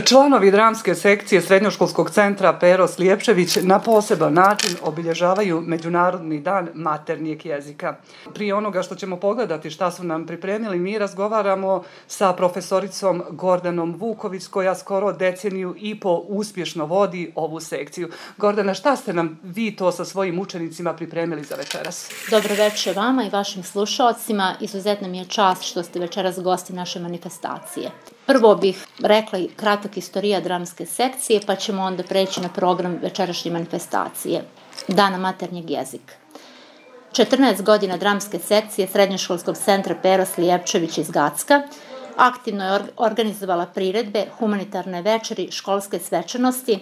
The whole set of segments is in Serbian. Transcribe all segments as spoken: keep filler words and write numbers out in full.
Članovi dramske sekcije Srednjoškolskog centra Pero Slijepčević na poseban način obilježavaju Međunarodni dan maternjeg jezika. Prije onoga što ćemo pogledati šta su nam pripremili, mi razgovaramo sa profesoricom Gordanom Vuković, koja skoro deceniju i po uspješno vodi ovu sekciju. Gordana, šta ste nam vi to sa svojim učenicima pripremili za večeras? Dobro večer vama i vašim slušaocima. Izuzetno mi je čast što ste večeras gosti naše manifestacije. Prvo bih rekla i kratak istorija dramske sekcije, pa ćemo onda preći na program večerašnje manifestacije Dana maternjeg jezika. četrnaest godina dramske sekcije Srednjoškolskog centra Pero Slijepčević iz Gacka aktivno je organizovala priredbe, humanitarne večeri, školske svečanosti.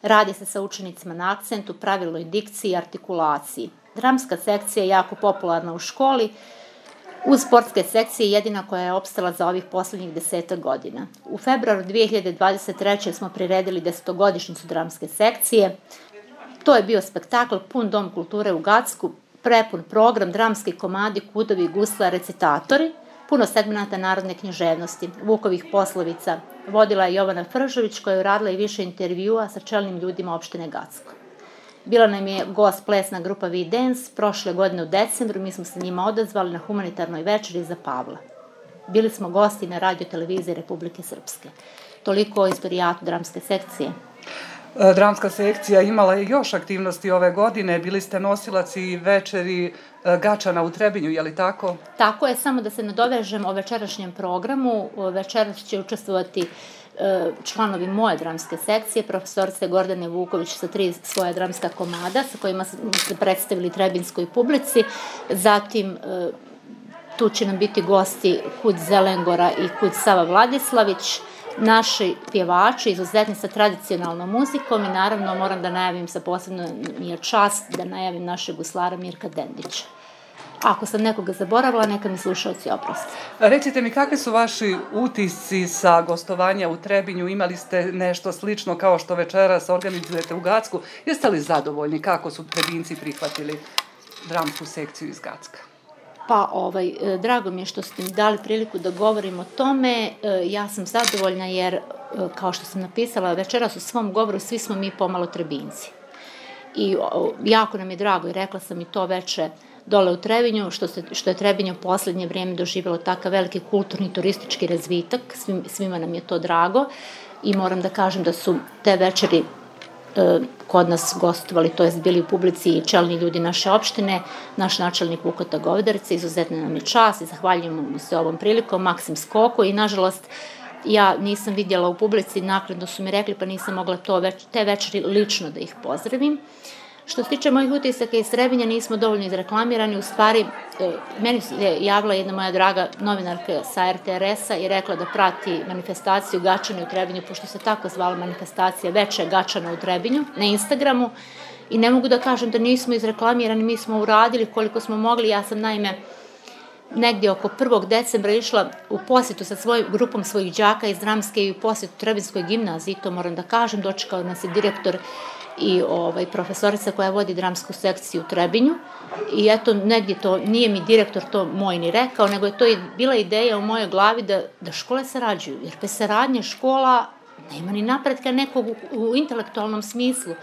Radi se sa učenicima na akcentu, pravilnoj dikciji i artikulaciji. Dramska sekcija je jako popularna u školi. Uz sportske sekcije jedina koja je opstala za ovih posljednjih desetak godina. U februaru dvije hiljade dvadeset treće. smo priredili desetogodišnjicu dramske sekcije. To je bio spektakl pun dom kulture u Gacku, prepun program, dramski komadi, kudovi, gusla, recitatori, puno segmenata narodne književnosti, Vukovih poslovica. Vodila je Jovana Fržović, koja je uradila i više intervjua sa čelnim ljudima opštine Gacko. Bila nam je gost plesna grupa V-Dance prošle godine u decembru, mi smo se njima odazvali na humanitarnoj večeri za Pavla. Bili smo gosti na radio televiziji Republike Srpske. Toliko o istorijatu dramske sekcije. Dramska sekcija imala je još aktivnosti ove godine, bili ste nosilac i večeri Gačana u Trebinju, je li tako? Tako je, samo da se nadovežem o večerašnjem programu. Večeras će učestvovati članovi moje dramske sekcije, profesorice Gordane Vuković sa tri svoja dramska komada sa kojima se predstavili trebinskoj publici. Zatim tu će nam biti gosti Kud Zelengora i Kud Sava Vladislavić, naši pjevači izuzetni sa tradicionalnom muzikom i naravno moram da najavim, sa posebno mi je čast da najavim našeg guslara Mirka Dendića. Ako sam nekoga zaboravila, neka mi slušalci oproste. Recite mi, kakvi su vaši utisci sa gostovanja u Trebinju? Imali ste nešto slično kao što večeras organizujete u Gacku? Jeste li zadovoljni kako su Trebinci prihvatili dramsku sekciju iz Gacka? Pa, ovaj, drago mi je što ste mi dali priliku da govorim o tome. Ja sam zadovoljna jer, kao što sam napisala večeras u svom govoru, svi smo mi pomalo Trebinci. I jako nam je drago i rekla sam i to veče dole u Trebinju, što, se, što je Trebinje u posljednje vrijeme doživjelo takav veliki kulturni turistički razvitak. Svim, svima nam je to drago i moram da kažem da su te večeri e, kod nas gostovali, to jest bili u publici i čelni ljudi naše opštine, naš načelnik Vukota Govedarica, izuzetno nam je čast i zahvaljujemo mu se ovom prilikom, Maksim Skoko, i nažalost ja nisam vidjela u publici, naknadno su mi rekli pa nisam mogla to več, te večeri lično da ih pozdravim. Što se tiče mojih utisaka iz Trebinja, nismo dovoljno izreklamirani. U stvari, meni je javila jedna moja draga novinarka sa er te er es-a i rekla da prati manifestaciju Gačana u Trebinju, pošto se tako zvala manifestacija Veče Gačana u Trebinju na Instagramu. I ne mogu da kažem da nismo izreklamirani, mi smo uradili koliko smo mogli. Ja sam naime negdje oko prvog decembra išla u posjetu sa svojim grupom svojih đaka iz dramske i u posjetu Trebinskoj gimnaziji, to moram da kažem, dočekao nas je direktor i ovaj, profesorica koja vodi dramsku sekciju u Trebinju. I eto, negdje to, nije mi direktor to moj ni rekao, nego je to bila ideja u mojoj glavi da, da škole sarađuju. Jer bez saradnje škola nema ni napretka nekog u, u intelektualnom smislu.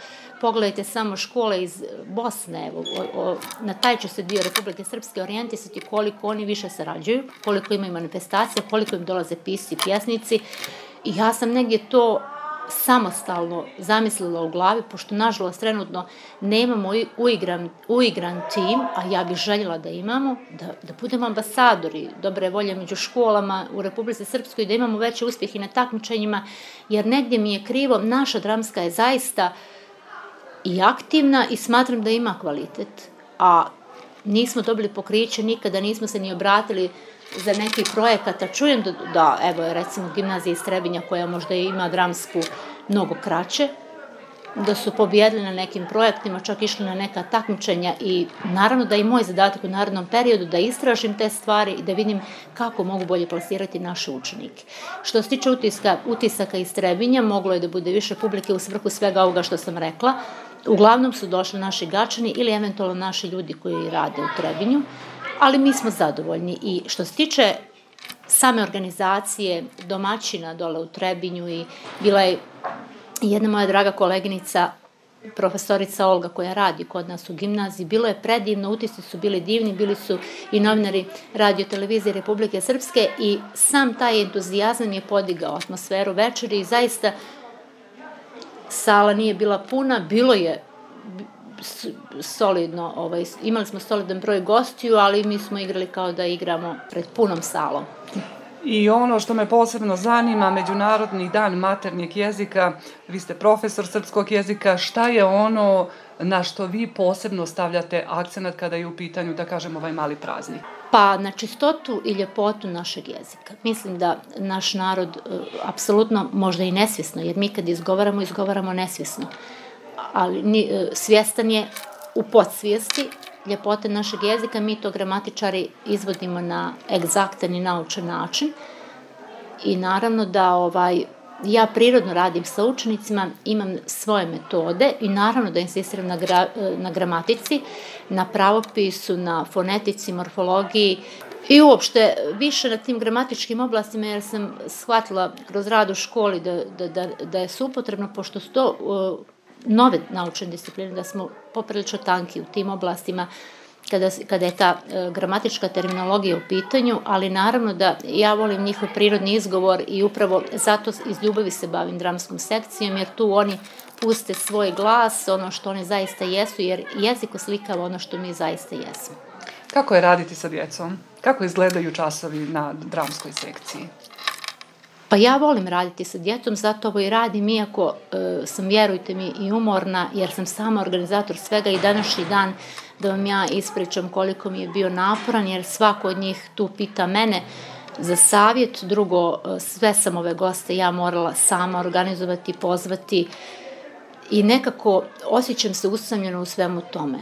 Pogledajte samo škole iz Bosne, evo, o, o, na taj će se dio Republike Srpske orijentisati koliko oni više sarađuju, koliko imaju manifestacija, koliko im dolaze pisci i pjesnici. I ja sam negdje to samostalno zamislila u glavi, pošto nažalost trenutno nemamo uigran, uigran tim, a ja bih željela da imamo, da, da budemo ambasadori dobre volje među školama u Republici Srpskoj, da imamo veće uspjehe na takmičenjima, jer negdje mi je krivo, naša dramska je zaista i aktivna i smatram da ima kvalitet, a nismo dobili pokriće, nikada nismo se ni obratili za neki projekata. Čujem da, da evo, recimo, gimnazija iz Trebinja, koja možda ima dramsku mnogo kraće, da su pobjedili na nekim projektima, čak išli na neka takmičenja i naravno da je moj zadatak u narednom periodu da istražim te stvari i da vidim kako mogu bolje plasirati naše učenike. Što se tiče utiska, utisaka iz Trebinja, moglo je da bude više publike u svrhu svega ovoga što sam rekla. Uglavnom su došli naši Gačani ili eventualno naši ljudi koji rade u Trebinju, ali mi smo zadovoljni. I što se tiče same organizacije domaćina dole u Trebinju i bila je jedna moja draga koleginica, profesorica Olga, koja radi kod nas u gimnaziji. Bilo je predivno, utisci su bili divni, bili su i novinari Radio televizije Republike Srpske i sam taj entuzijazam je podigao atmosferu večeri i zaista sala nije bila puna, bilo je solidno, ovaj, imali smo solidan broj gostiju, ali mi smo igrali kao da igramo pred punom salom. I ono što me posebno zanima, Međunarodni dan maternjeg jezika, vi ste profesor srpskog jezika, šta je ono na što vi posebno stavljate akcenat kada je u pitanju, da kažem, ovaj mali praznik? Pa na čistotu i ljepotu našeg jezika. Mislim da naš narod uh, apsolutno, možda i nesvjesno, jer mi kad izgovaramo, izgovaramo nesvjesno, ali ni, uh, svjestan je u podsvijesti ljepote našeg jezika, mi to gramatičari izvodimo na egzaktan i naučen način i naravno da ovaj, ja prirodno radim sa učenicima, imam svoje metode i naravno da insistiram na, gra, na gramatici, na pravopisu, na fonetici, morfologiji i uopšte više na tim gramatičkim oblastima jer sam shvatila kroz rad u školi da, da, da, da je supotrebno, pošto su to uh, nove naučne discipline, da smo poprilično tanki u tim oblastima kada, kada je ta e, gramatička terminologija u pitanju, ali naravno da ja volim njihov prirodni izgovor i upravo zato iz ljubavi se bavim dramskom sekcijom, jer tu oni puste svoj glas, ono što oni zaista jesu, jer jezik oslikava ono što mi zaista jesmo. Kako je raditi sa djecom? Kako izgledaju časovi na dramskoj sekciji? Pa ja volim raditi sa djecom, zato ovo i radim, iako e, sam, vjerujte mi, i umorna, jer sam sama organizator svega i današnji dan da vam ja ispričam koliko mi je bio naporan, jer svako od njih tu pita mene za savjet. Drugo, sve sam ove goste ja morala sama organizovati, pozvati i nekako osjećam se usamljeno u svemu tome.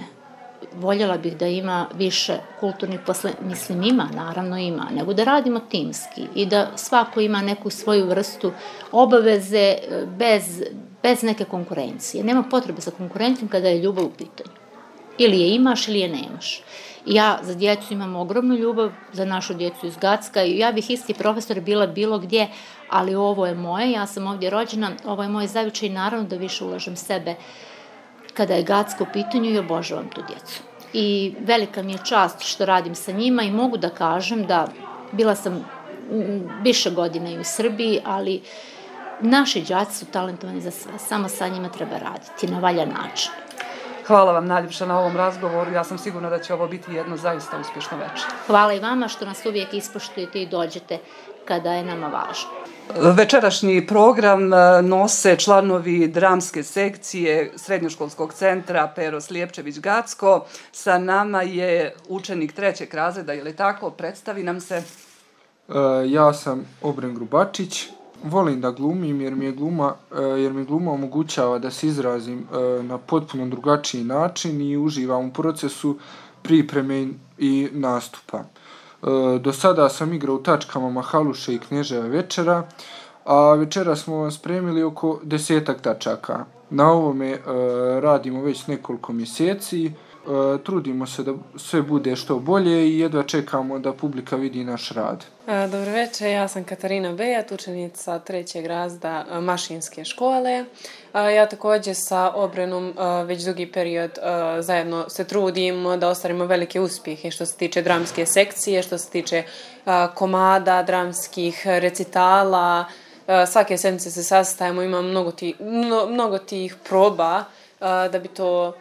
Voljela bih da ima više kulturnih posle, mislim ima, naravno ima, nego da radimo timski i da svako ima neku svoju vrstu obaveze bez, bez neke konkurencije. Nema potrebe za konkurencijom kada je ljubav u pitanju. Ili je imaš ili je nemaš. Ja za djecu imam ogromnu ljubav, za našu djecu iz Gacka i ja bih isti profesor bila bilo gdje, ali ovo je moje, ja sam ovdje rođena, ovo je moj zavičaj i naravno da više ulažem sebe kada je Gacko u pitanju i obožavam tu djecu. I velika mi je čast što radim sa njima i mogu da kažem da bila sam više godina i u Srbiji, ali naši đaci su talentovani za sve, samo sa njima treba raditi na valjan način. Hvala vam najljepša na ovom razgovoru, ja sam sigurna da će ovo biti jedno zaista uspješno večer. Hvala i vama što nas uvijek ispoštujete i dođete kada je nama važno. Večerašnji program nose članovi dramske sekcije Srednjoškolskog centra Pero Slijepčević Gacko. Sa nama je učenik trećeg razreda, je li tako? Predstavi nam se. Uh, ja sam Obren Grubačić. Volim da glumim jer mi je gluma, uh, jer mi gluma omogućava da se izrazim uh, na potpuno drugačiji način i uživam u procesu pripreme i nastupa. Do sada sam igrao u tačkama Mahaluše i Knježeva večera, a večera smo spremili oko desetak tačaka. Na ovome e, radimo već nekoliko mjeseci, e, trudimo se da sve bude što bolje i jedva čekamo da publika vidi naš rad. Dobro večer, ja sam Katarina Bejat, učenica trećeg razreda Mašinske škole. Ja također sa Obrenom već dugi period zajedno se trudimo da ostvarimo velike uspjehe što se tiče dramske sekcije, što se tiče komada, dramskih recitala. Svake sedmice se sastajemo, imamo mnogo tih, mnogo tih proba da bi to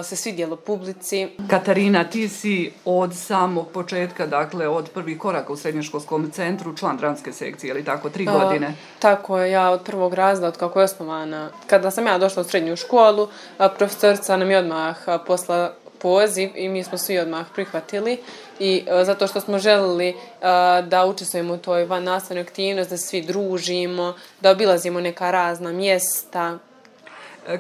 se svidjelo publici. Katarina, ti si od samog početka, dakle od prvih koraka u srednjoškolskom centru, član dramske sekcije, ili tako, tri godine? Uh, tako je, ja od prvog razreda, od kako je osnovana. Kada sam ja došla u srednju školu, profesorica nam je odmah posla poziv i mi smo svi odmah prihvatili i uh, zato što smo želili uh, da učestvujemo u toj van nastavnoj aktivnosti, da se svi družimo, da obilazimo neka razna mjesta.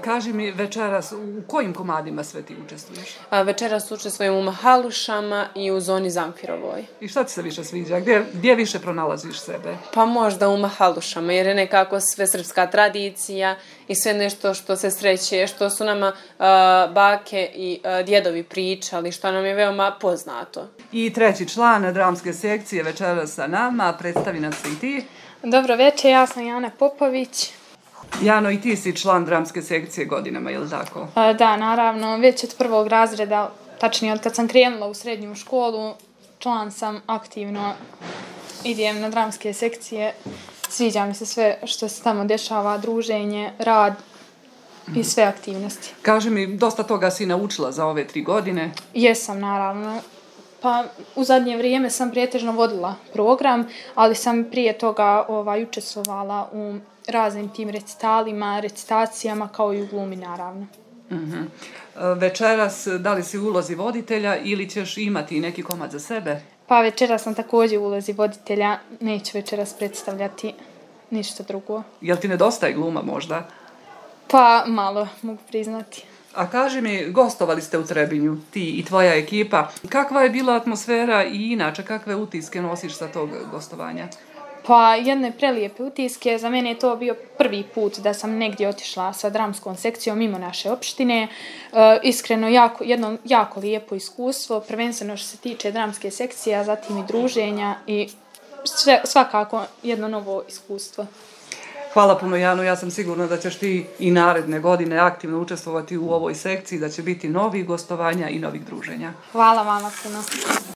Kaži mi večeras, u kojim komadima sve ti učestvuješ? A, večeras učestvujem u Mahalušama i u zoni Zamfirovoj. I šta ti se više sviđa? Gdje, gdje više pronalaziš sebe? Pa možda u Mahalušama, jer je nekako sve srpska tradicija i sve nešto što se sreće, što su nama a, bake i a, djedovi pričali, što nam je veoma poznato. I treći član dramske sekcije večeras sa nama, predstavi nam se i ti. Dobro večer, ja sam Jana Popović. Jano, i ti si član dramske sekcije godinama, je li tako? E, Da, naravno, već od prvog razreda, tačnije od kad sam krenula u srednju školu, član sam aktivno, idem na dramske sekcije, sviđa mi se sve što se tamo dešava, druženje, rad i sve aktivnosti. Kaži mi, dosta toga si naučila za ove tri godine. Jesam, naravno. Pa u zadnje vrijeme sam pretežno vodila program, ali sam prije toga ovaj, učestvovala u raznim tim recitalima, recitacijama, kao i u glumi, naravno. Uh-huh. Večeras, da li si u ulozi voditelja ili ćeš imati neki komad za sebe? Pa večeras sam također u ulozi voditelja, neću večeras predstavljati ništa drugo. Jel ti nedostaje gluma možda? Pa malo, mogu priznati. A kaži mi, gostovali ste u Trebinju, ti i tvoja ekipa. Kakva je bila atmosfera i inače, kakve utiske nosiš sa tog gostovanja? Pa jedne prelijepe utiske, za mene je to bio prvi put da sam negdje otišla sa dramskom sekcijom mimo naše opštine. E, iskreno, jako, jedno jako lijepo iskustvo, prvenstveno što se tiče dramske sekcije, a zatim i druženja i sve, svakako jedno novo iskustvo. Hvala puno, Jano, ja sam sigurna da ćeš ti i naredne godine aktivno učestvovati u ovoj sekciji, da će biti novih gostovanja i novih druženja. Hvala vama puno.